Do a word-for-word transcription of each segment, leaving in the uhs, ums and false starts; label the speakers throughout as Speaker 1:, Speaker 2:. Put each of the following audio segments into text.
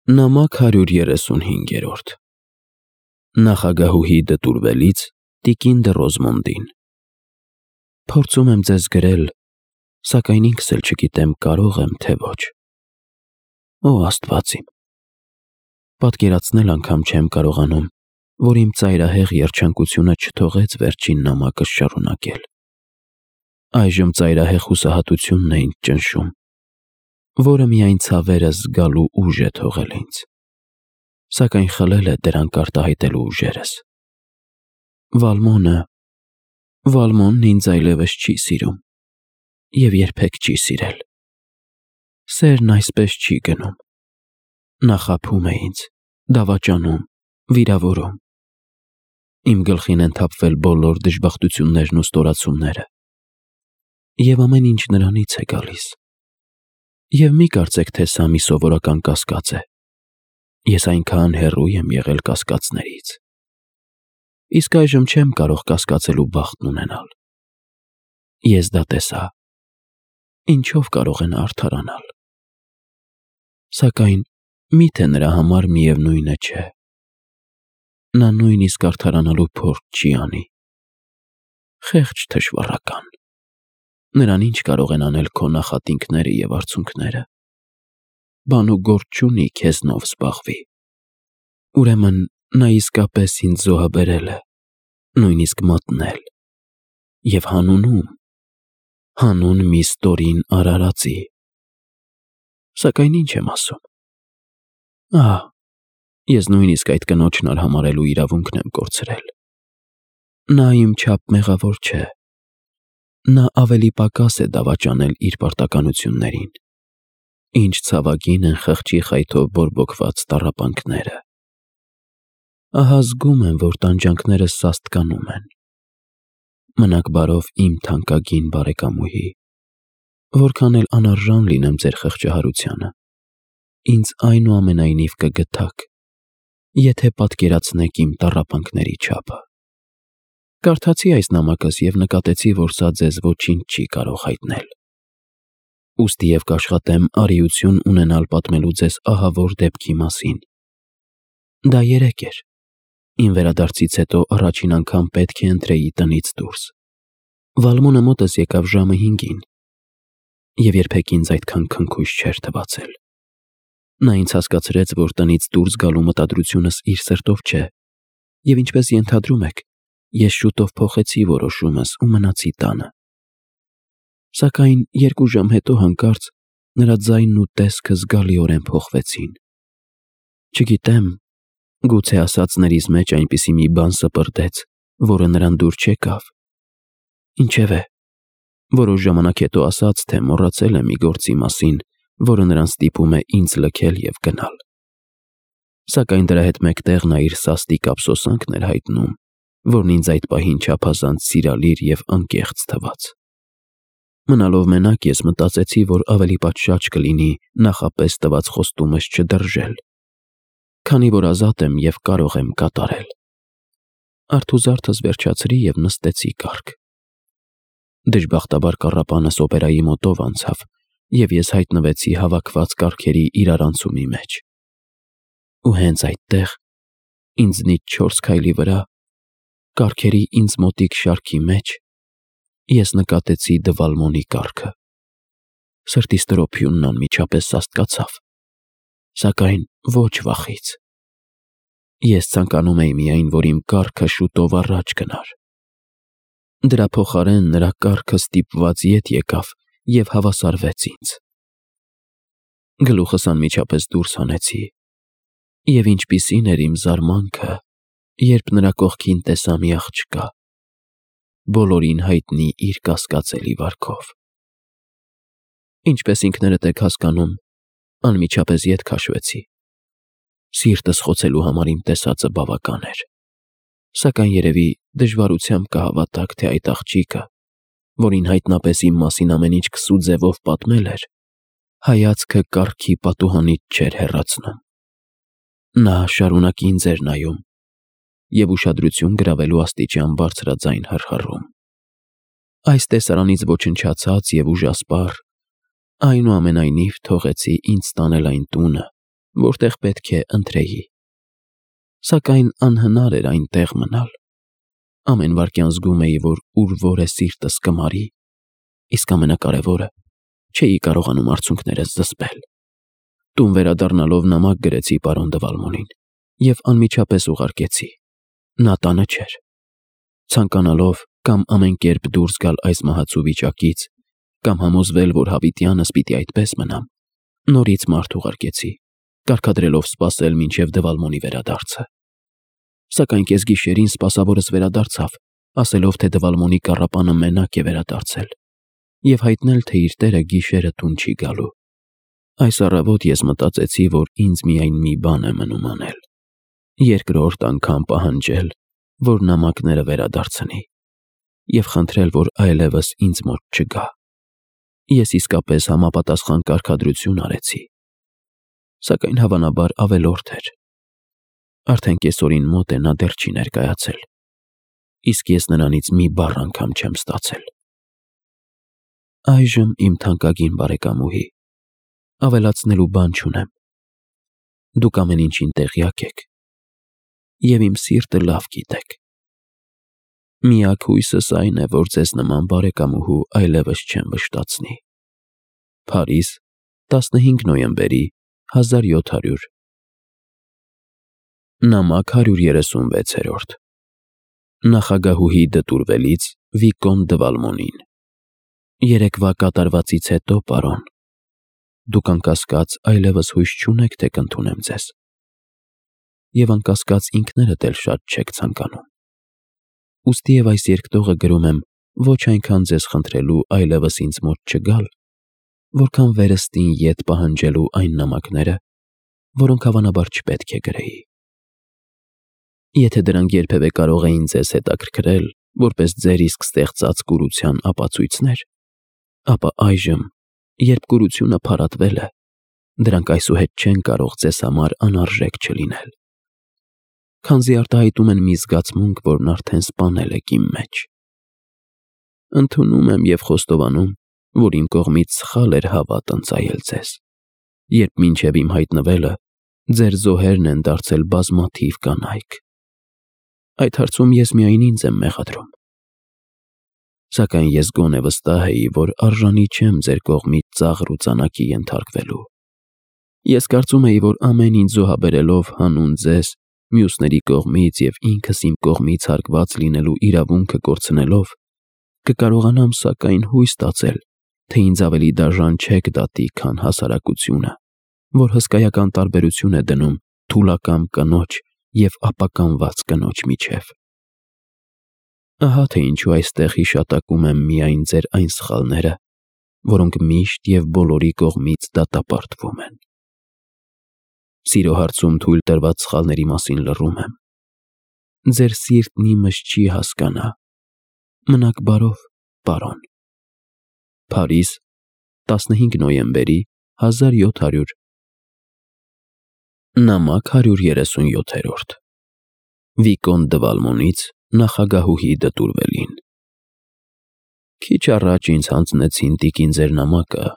Speaker 1: Նամակ հարյուր երեսունհինգերորդ Նախագահուհի դտուրվելից տիկին դը Ռոզմոնդին Փորձում եմ ձեզ գրել, սակայն ինքս էլ չգիտեմ կարող եմ, թե ոչ։ Օ Աստված իմ, պատկերացնել անգամ չեմ կարողանում, որ իմ ծայրահեղ երջանկությունը չթողեց վերջին նամակս շարունակել։ Այժմ ծայրահեղ հուսահատությունն է ինձ ճնշում, որը միայն ցավերը զգալու ուժ է թողել ինձ, սակայն խլել է դրանք արտահայտելու ուժերս։ Վալմոնը, Վալմոնն ինձ այլևս չի սիրում և երբեք չի սիրել։ Սերն այսպես չի գնում։ Նա խաբում է ինձ, դավաճանում, վիրավորում։ Իմ գլխին են թափվել բոլոր դժբախտություններն ու ստորացումները, և ամեն ինչ նրանից է գալիս։ Եվ մի կարծեք, թե սա մի սովորական կասկած է։ Ես այնքան հեռու եմ եղել կասկածներից։ Իսկ այժմ չեմ կարող կասկածելու բախտն ունենալ։ Ես դա տեսա։ Ինչով կարող է նա արդարանալ։ Սակայն մի՞թե նրա համար միևնույնը չէ։ Նա նույնիսկ արդարանալու փորձ չի անի։ Խեղճ թշվառական։ Նրան ինչ կարող են անել քո նախատինքները և արցունքները։ Բան ու գործ չունի քեզնով զբաղվի։ Ուրեմն նա իսկապես ինձ զոհաբերել է, նույնիսկ մատնել, և հանունում, հանուն մի ստորին արարածի։ Սակայն ինչ եմ ասում։ Ահա, ես նույնիսկ այդ կնոջն արհամարհելու իրավունքն եմ կորցրել։ Նա իմ չափ մեղավոր չէ։ Նա ավելի պակաս է դավաճանել իր պարտականություններին։ Ինչ ցավագին են խղճի խայթով բորբոքված տառապանքները։ Ահա զգում եմ, որ տանջանքներս սաստկանում են։ Մնաք բարով իմ թանկագին բարեկամուհի, որքան էլ անարժան լինեմ ձեր խղճահարությանը, ինձ այնուամենայնիվ կգթաք, եթե պատկերացնեք իմ տառապանքների չափը։ Կարդացի այս նամակս և նկատեցի, որ սա ձեզ ոչինչ չի կարող հայտնել։ Ուստի և կաշխատեմ արիություն ունենալ պատմելու ձեզ ահավոր դեպքի մասին։ Դա երեկ էր։ Իմ վերադարձից հետո առաջին անգամ պետք է ընտրեի տնից դուրս։ Վալմոնը մոտս եկավ ժամը հինգին, և երբեք ինձ այդքան քնքույժ չէր թվացել։ Նա ինձ հասկացրեց, որ տնից դուրս գալու մտադրությունս իր սրտով չէ, և ինչպես ենթադրում եք, ես շուտով փոխեցի որոշումս ու մնացի տանը։ Սակայն երկու ժամ հետո հանկարծ նրա ձայնն ու տեսքը զգալիորեն փոխվեցին։ Չգիտեմ, գուցե ասածներիս մեջ այնպիսի մի բան սպրդեց, որը նրան դուր չեկավ։ Ինչևէ, որոշ ժամանակ հետո ասաց, թե մոռացել է մի գործի մասին, որը նրան ստիպում է ինձ լքել և գնալ։ Սակայն դրա հետ մեկտեղ նա իր սաստիկ ափսոսանքն էր հայտնում, որն ինձ այդ պահին չափազանց սիրալիր և անկեղծ թվաց։ Մնալով մենակ, ես մտածեցի, որ ավելի պատշաճ կլինի նախապես տված խոստումս չդրժել, քանի որ ազատ եմ և կարող եմ կատարել։ Արթուզարդս վերջացրի և նստեցի կառք։ Դժբախտաբար կառապանս օպերայի մոտով անցավ, և ես հայտնվեցի հավաքված կառքերի իրարանցումի մեջ։ Ու հենց այդտեղ, ինձնից չորս քայլի վրա, կառքերի ինձ մոտիկ շարքի մեջ, ես նկատեցի Դվալմոնի կառքը։ Սրտիս տրոփյունն անմիջապես սաստկացավ, սակայն ոչ վախից։ Ես ցանկանում էի միայն, որ իմ կառքը շուտով առաջ գնար։ Դրա փոխարեն նրա կառքը ստիպված ետ եկավ և հավասարվեց ինձ։ Գլուխս անմիջապես դուրս հանեցի, և ինչպիսին էր իմ զարմանքը, երբ նրա կողքին տեսա մի աղջկա, բոլորին հայտնի իր կասկածելի վարքով։ Ինչպես ինքներդ եք հասկանում, անմիջապես ետ քաշվեցի։ Սիրտս խոցելու համար իմ տեսածը բավական էր։ Սակայն երևի դժվարությամբ կհավատաք, թե այդ աղջիկը, որին հայտնապես իմ մասին ամեն ինչ քսու ձևով պատմել էր, հայացքը կառքի պատուհանից չէր հեռացնում։ Նա շարունակ ինձ էր նայում և ուշադրություն գրավելու աստիճան բարձրաձայն հռհռում։ Այս տեսարանից ոչնչացած և ուժասպառ, այնուամենայնիվ թողեցի ինձ տանել այն տունը, որտեղ պետք է ընթրեի։ Սակայն անհնար էր այնտեղ մնալ։ Ամեն վայրկյան զգում էի, որ ուր որ է սիրտս կմարի, իսկ ամենակարևորը, չէի կարողանում արցունքներս զսպել։ Տուն վերադառնալով նամակ գրեցի պարոն Դվալմոնին և անմիջապես ուղարկեցի։ Նա տանը չէր։ Ցանկանալով կամ ամեն կերպ դուրս գալ այս մահացու վիճակից, կամ համոզվել, որ հավիտյանս պիտի այդպես մնամ, նորից մարդ ուղարկեցի, կարգադրելով սպասել մինչև Դվալմոնի վերադարձը։ Սակայն կեսգիշերին սպասավորս վերադարձավ, ասելով, թե Դվալմոնի կառապանը մենակ է վերադարձել և հայտնել, թե իր տերը գիշերը տուն չի գալու։ Այս առավոտ ես մտածեցի, որ ինձ միայն մի բան է մնում անել. երկրորդ անգամ պահանջել, որ նամակները վերադարձնի և խնդրել, որ այլևս ինձ մոտ չգա։ Ես իսկապես համապատասխան կարգադրություն արեցի, սակայն հավանաբար ավելորդ էր։ Արդեն կեսօրին մոտ է նա դեռ չի ներկայացել, իսկ ես նրանից մի բառ անգամ չեմ ստացել։ Այժմ իմ թանկագին բարեկամուհի, ավելացնելու բան չունեմ։ Դուք ամեն ինչին տեղյակ եք և իմ սիրտը լավ գիտեք։ Միակ հույսս այն է, որ ձեզ նման բարեկամուհու այլևս չեմ վշտացնի։ Փարիզ, տասնհինգ նոյեմբերի հազար յոթ հարյուր։ Նամակ հարյուր երեսունվեցերորդ։ Նախագահուհի դտուրվելից Վիկոն Դվալմոնին։ Երեկվա կատարվածից հետո, պարոն, դուք անկասկած այլևս հույս չունեք, թե կընդունեմ ձեզ, և անկասկած ինքներդ էլ շատ չեք ցանկանում։ Ուստիև այս երկտողը գրում եմ ոչ այնքան ձեզ խնդրելու այլևս ինձ մոտ չգալ, որքան վերստին ետ պահանջելու այն նամակները, որոնք հավանաբար չպետք է գրեի։ Եթե դրանք երբևէ կարող էին ձեզ հետաքրքրել որպես ձեր իսկ ստեղծած կուրության ապացույցներ, ապա այժմ, երբ կուրությունը փարատվել է, դրանք այսուհետ չեն կարող ձեզ համար անարժեք չլինել, քանզի արտահայտում են մի զգացմունք, որն արդեն սպանել եք իմ մեջ։ Ընդունում եմ և խոստովանում, որ իմ կողմից սխալ էր հավատ ընծայել ձեզ, երբ մինչև իմ հայտնվելը ձեր զոհերն են դարձել բազմաթիվ կանայք։ Այդ հարցում ես միայն ինձ եմ մեղադրում։ Սակայն ես գոնե վստահ էի, որ արժանի չեմ ձեր կողմից ծաղր ու ծանակի ենթարկվելու։ Ես կարծում էի, որ ամեն ինչ զոհաբերելով հանուն ձեզ, մյուսների կողմից և ինքս իմ կողմից հարկված լինելու իրավունքը կորցնելով, կկարողանամ սակայն հույս ստացել, թե ինձ ավելի դաժան չեք դատի, քան հասարակությունը, որ հսկայական տարբերություն է դնում թուլակամ կնոջ և ապականված կնոջ միջև։ Ահա թե ինչու այստեղ հիշատակում եմ միայն ձեր այն սխալները, որոնք միշտ և բոլորի կողմից դատապարտվում են։ Սիրո հարցում թույլ տրված սխալների մասին լռում եմ։ Ձեր սիրտն իմս չի հասկանա։ Մնաք բարով, պարոն։ Փարիզ, տասնհինգ նոյեմբերի հազար յոթ հարյուր։ Նամակ հարյուր երեսունյոթերորդ։ Վիկոն Դվալմոնից նախագահուհի դտուրվելին։ Քիչ առաջ ինձ հանձնեցին տիկին ձեր նամակը։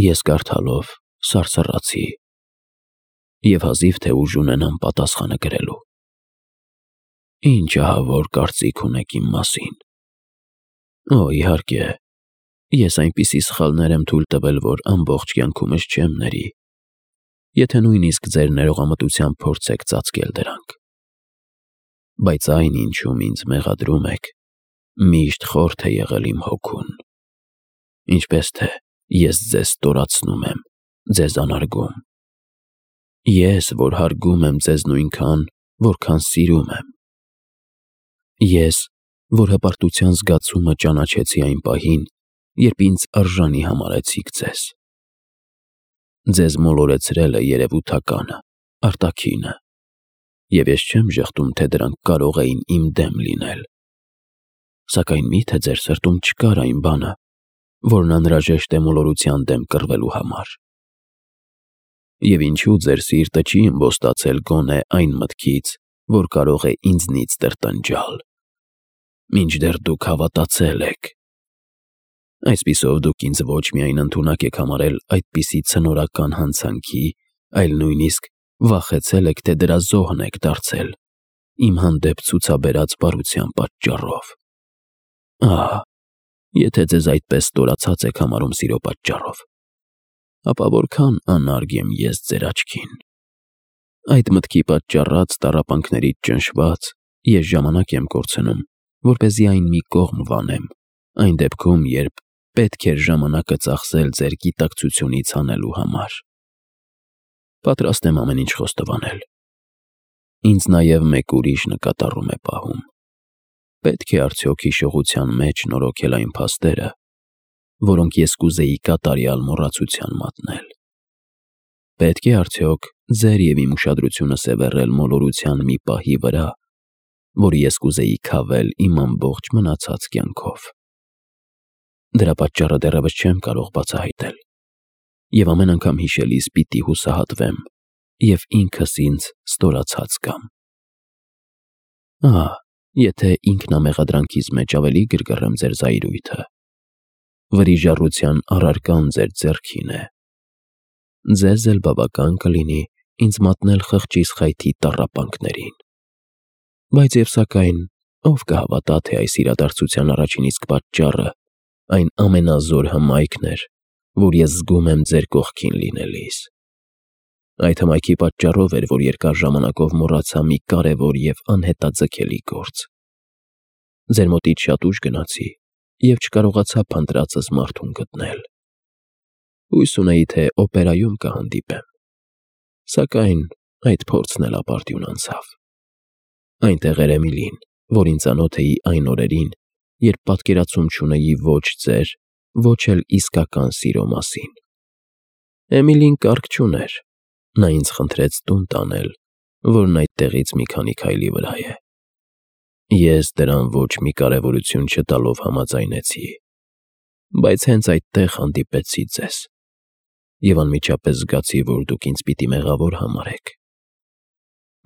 Speaker 1: Ես կարդալով սարսռացի և հազիվ թե ուժ ունենամ պատասխանը գրելու։ Ինչ ահավոր կարծիք ունեք իմ մասին։ Օ, իհարկե, ես այնպիսի սխալներ եմ թույլ տվել, որ ամբողջ կյանքումս չեմ ների, եթե նույնիսկ ձեր ներողամտությամբ փորձեք ծածկել դրանք։ Բայց այն, ինչում ինձ մեղադրում եք, միշտ խորթ է եղել իմ հոգուն, ինչպես թե ես ձեզ ստորացնում եմ, ձեզ անարգում։ Ես, որ հարգում եմ ձեզ նույնքան, որքան սիրում եմ։ Ես, որ հպարտության զգացումը ճանաչեցի այն պահին, երբ ինձ արժանի համարեցիք ձեզ։ Ձեզ մոլորեցրելը երևութականը, արտաքինը, և ես չեմ ժխտում, թե դրանք կարող էին իմ դեմ լինել։ Սակայն մի՞թե ձեր սրտում չկար այն բանը, որն անհրաժեշտ է մոլորության դեմ կռվելու համար։ Եվ ինչու ձեր սիրտը չի ըմբոստացել գոնե այն մտքից, որ կարող է ինձնից տրտնջալ, մինչդեռ դուք հավատացել եք։ Այսպիսով դուք ինձ ոչ միայն ընդունակ եք համարել այդպիսի ցնորական հանցանքի, այլ նույնիսկ վախեցել եք, թե դրա զոհն եք դարձել իմ հանդեպ ցուցաբերած բարության պատճառով։ Ահա, եթե ձեզ այդպես ստորացած եք համարում սիրո պատճառով, ապա որքան անարգ եմ ես ձեր աչքին։ Այդ մտքի պատճառած տառապանքներից ճնշված ես ժամանակ եմ կորցնում, որպեսզի այն մի կողմ վանեմ, այն դեպքում, երբ պետք էր ժամանակը ծախսել ձեր գիտակցությունից հանելու համար։ Պատրաստ եմ ամեն ինչ խոստովանել։ Ինձ նաև մեկ ուրիշ նկատառում է պահում։ Պետք է արդյոք հիշողության մեջ նորոգել այն փաստերը, որոնք ես կուզեի կատարյալ մոռացության մատնել։ Պետք է արդյոք ձեր և իմ ուշադրությունը սևեռել մոլորության մի պահի վրա, որը ես կուզեի քավել իմ ամբողջ մնացած կյանքով։ Դրա պատճառը դեռևս չեմ կարող բացահայտել, և ամեն անգամ հիշելիս պիտի հուսահատվեմ և ինքս ինձ ստորացած զգամ։ Ահա, եթե ինքնամեղադրանքիս մեջ ավելի գրգռեմ ձեր զայրույթը, վրիժառության առարկան ձեր ձեռքին է։ Ձեզ էլ բավական կլինի ինձ մատնել խղճիս խայթի տառապանքներին։ Բայց և սակայն ով կհավատա, թե այս իրադարձության առաջին իսկ պատճառը այն ամենազոր հմայքն էր, որ ես զգում եմ ձեր կողքին լինելիս։ Այդ հմայքի պատճառով էր, որ երկար ժամանակով մոռացա մի կարևոր և անհետաձգելի գործ։ Ձեր մոտից շատ ուշ գնացի և չկարողացա փնտրածս մարդուն գտնել։ Հույս ունեի, թե օպերայում կհանդիպեմ, սակայն այդ փորձն էլ ապարդյուն անցավ։ Այնտեղ էր Էմիլին, որին ծանոթ էի այն օրերին, երբ պատկերացում չունեի ոչ ձեր, ոչ էլ իսկական սիրո մասին։ Էմիլին կառք չուներ, նա ինձ խնդրեց տուն տանել, որն այդտեղից մի քանի քայլի վրա է։ Ես դրան ոչ մի կարևորություն չտալով համաձայնեցի, բայց հենց այդտեղ հանդիպեցի ձեզ, և անմիջապես զգացի, որ դուք ինձ պիտի մեղավոր համարեք։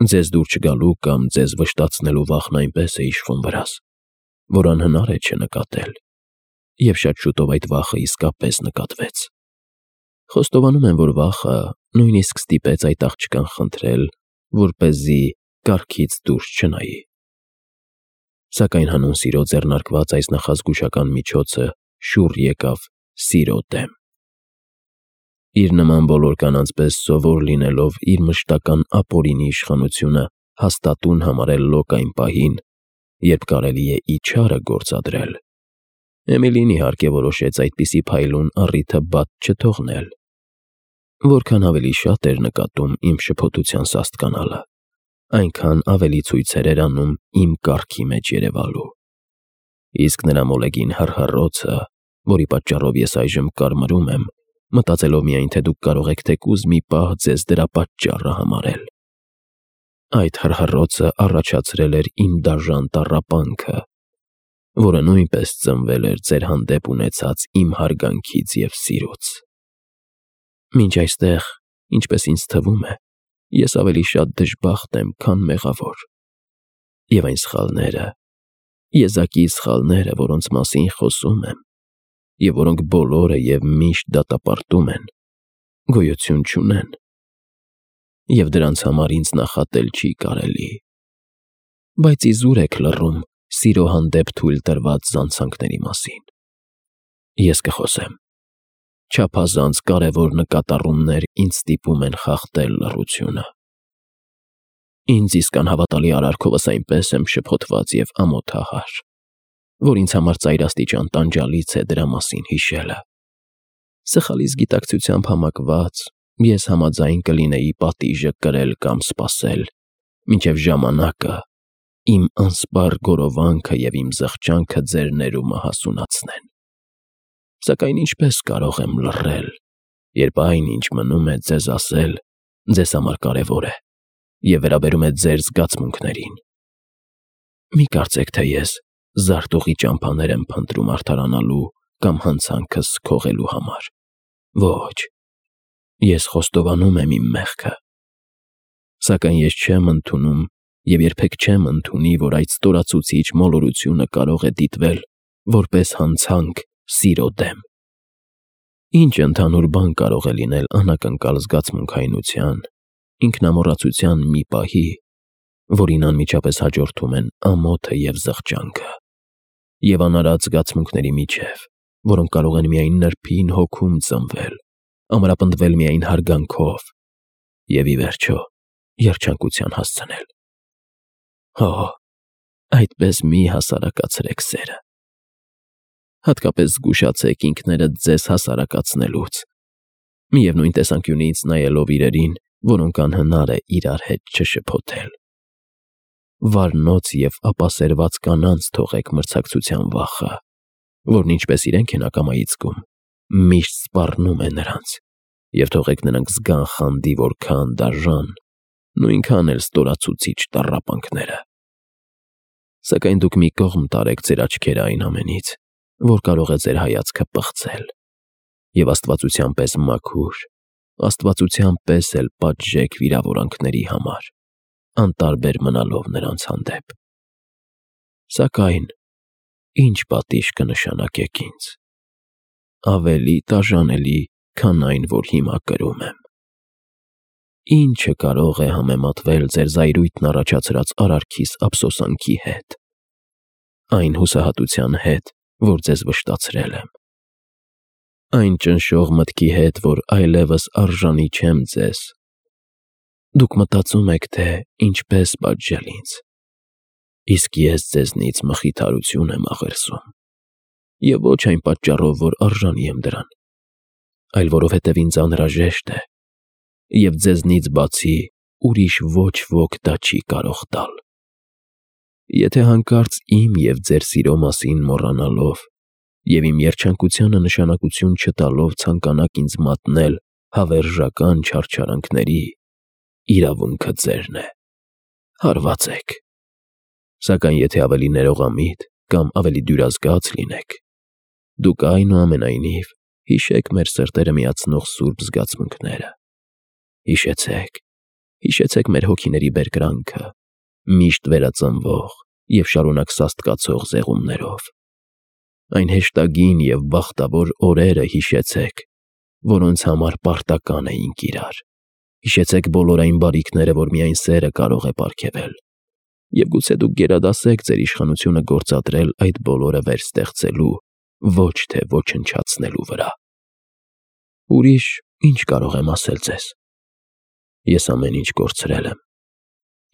Speaker 1: Ձեզ դուր չգալու կամ ձեզ վշտացնելու վախն այնպես է իշխում վրաս, որ անհնար է չնկատել, և շատ շուտով այդ վախը իսկապես նկատվեց։ Խոստովանում եմ, որ վախը նույնիսկ ստիպեց այդ աղջկան խնդրել, որպեսզի կառքից դուրս չնայի։ Սակայն հանուն սիրո ձեռնարկված այս նախազգուշական միջոցը շուռ եկավ սիրո դեմ։ Իր նման բոլոր կանանց պես սովոր լինելով իր մշտական ապօրինի իշխանությունը հաստատուն համարել լոկ այն պահին, երբ կարելի է իչարը գործադրել, Էմիլին իհարկե որոշեց այդպիսի փայլուն առիթը բաց չթողնել։ Որքան ավելի շատ էր նկատում իմ շփոթության սաստկանալը, այնքան ավելի ցույցեր էր անում իմ կառքի մեջ երևալու։ Իսկ նրա մոլեգին հռհռոցը, որի պատճառով ես այժմ կարմրում եմ, մտածելով միայն, թե դուք կարող եք թեկուզ մի պահ ձեզ դրա պատճառը համարել։ Այդ հռհռոցը առաջացրել էր իմ դաժան տառապանքը, որը նույնպես ծնվել էր ձեր հանդեպ ունեցած իմ հարգանքից և սիրուց։ Մինչ այստեղ, ինչպես ինձ թվում է, ես ավելի շատ դժբախտ եմ, քան մեղավոր։ Եվ այն սխալները, եզակի սխալները, որոնց մասին խոսում եմ, և որոնք բոլորը և միշտ դատապարտում են, գոյություն չունեն, և դրանց համար ինձ նախատել չի կարելի։ Բայց իզուր եք լռում սիրո հանդեպ թույլ տրված զանցանքների մասին։ Ես կխոսեմ։ Չափազանց կարևոր նկատառումներ ինձ ստիպում են խախտել լռությունը։ Ինձ իսկ անհավատալի արարքովս այնպես եմ շփոթված և ամոթահար, որ ինձ համար ծայրաստիճան տանջալից է դրա մասին հիշելը։ Սխալից գիտակցությամբ համակված ես համաձայն կլինեի պատիժը կրել կամ սպասել, մինչև ժամանակը, իմ անսպառ գորովանքը և իմ զղջանքը ձեր ներումը հասունացնեն։ Սակայն ինչպես կարող եմ լռել, երբ այն, ինչ մնում է ձեզ ասել, ձեզ համար կարևոր է և վերաբերում է ձեր զգացմունքներին։ Մի կարծեք, թե ես զարտուղի ճամփաներ եմ փնտրում արդարանալու կամ հանցանքս քողելու համար։ Ոչ, ես խոստովանում եմ իմ մեղքը։ Սակայն ես չեմ ընդունում և երբեք չեմ ընդունի, որ այդ ստորացուցիչ մոլորությունը կարող է դիտվել որպես հանցանք սիրո դեմ։ Ինչ ընդհանուր բան կարող է լինել անակնկալ զգացմունքայնության, ինքնամոռացության մի պահի, որին անմիջապես հաջորդում են ամոթը և զղջանքը, և անարատ զգացմունքների միջև, որոնք կարող են միայն նրբին հոգում ծնվել, ամրապնդվել միայն հարգանքով և, ի վերջո, երջանկության հասցնել։ Հո, այդպես մի հասարակացրեք սերը։ Հատկապես զգուշացեք ինքներդ ձեզ հասարակացնելուց, միևնույն տեսանկյունից նայելով իրերին, որոնք անհնար է իրար հետ չշփոթել։ Վառնոց և ապասերված կանանց թողեք մրցակցության վախը, որն ինչպես իրենք են ակամայից զգում, միշտ սպառնում է նրանց, և թողեք նրանք զգան խանդի որքան դաժան, նույնքան էլ ստորացուցիչ տառապանքները։ Սակայն դուք մի կողմ տարեք ձեր աչքերը այն ամենից, որ կարող է ձեր հայացքը պղծել, և աստվածության պես մաքուր, աստվածության պես էլ պատժեք վիրավորանքների համար, անտարբեր մնալով նրանց հանդեպ։ Սակայն ի՞նչ պատիժ կնշանակեք ինձ։ Ավելի տաժանելի, քան այն, որ հիմա կրում եմ։ Ի՞նչը կարող է համեմատվել ձեր զայրույթն առաջացրած արարքիս ափսոսանքի հետ, այն հուսահատության հետ, որ ձեզ վշտացրել եմ, այն ճնշող մտքի հետ, որ այլևս արժանի չեմ ձեզ։ Դուք մտածում եք, թե ինչպես պատժել ինձ, իսկ ես ձեզնից մխիթարություն եմ աղերսում, և ոչ այն պատճառով, որ արժանի եմ դրան, այլ որովհետև ինձ անհրաժեշտ է, և ձեզնից բացի ուրիշ ոչ ոք դա չի կարող տալ։ Եթե հանկարծ իմ և ձեր սիրո մասին մոռանալով և իմ երջանկությանը նշանակություն չտալով ցանկանաք ինձ մատնել հավերժական չարչարանքների, իրավունքը ձերն է, հարվածեք։ Սակայն եթե ավելի ներողամիտ կամ ավելի դյուրազգաց լինեք, դուք այնուամենայնիվ հիշեք մեր սրտերը միացնող սուրբ զգացմունքները։ Հիշեցեք, հիշեցեք մեր հոգիների բերկրանքը, միշտ վերածնվող և շարունակ սաստկացող զեղումներով։ Այն հեշտագին և բախտավոր օրերը հիշեցեք, որոնց համար պարտական էինք իրար։ Հիշեցեք բոլոր այն բարիքները, որ միայն սերը կարող է պարգևել, և գուցե դուք գերադասեք ձեր իշխանությունը գործադրել այդ բոլորը վերստեղծելու, ոչ թե ոչնչացնելու վրա։ Ուրիշ ի՞նչ կարող եմ ասել ձեզ։ Ես ամեն ինչ կորցրել եմ,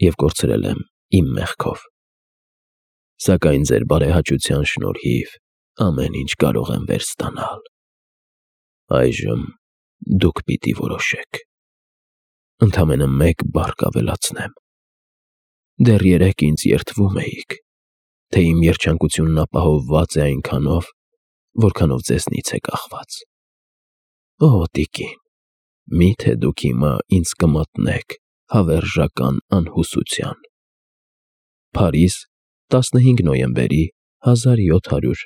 Speaker 1: և կորցրել եմ իմ մեղքով։ Սակայն ձեր բարեհաճության շնորհիվ ամեն ինչ կարող եմ վերստանալ։ Այժմ դուք պիտի որոշեք։ Ընդամենը մեկ բառ կավելացնեմ. դեռ երեկ ինձ երդվում էիք, թե իմ երջանկությունն ապահովված է այնքանով, որքանով ձեզնից է կախված։ Օ, տիկին, մի՞թե դուք հիմա ինձ կմատնեք հավերժական անհուսության։ Փարիզ, տասնհինգ նոյեմբերի հազար յոթ հարյուր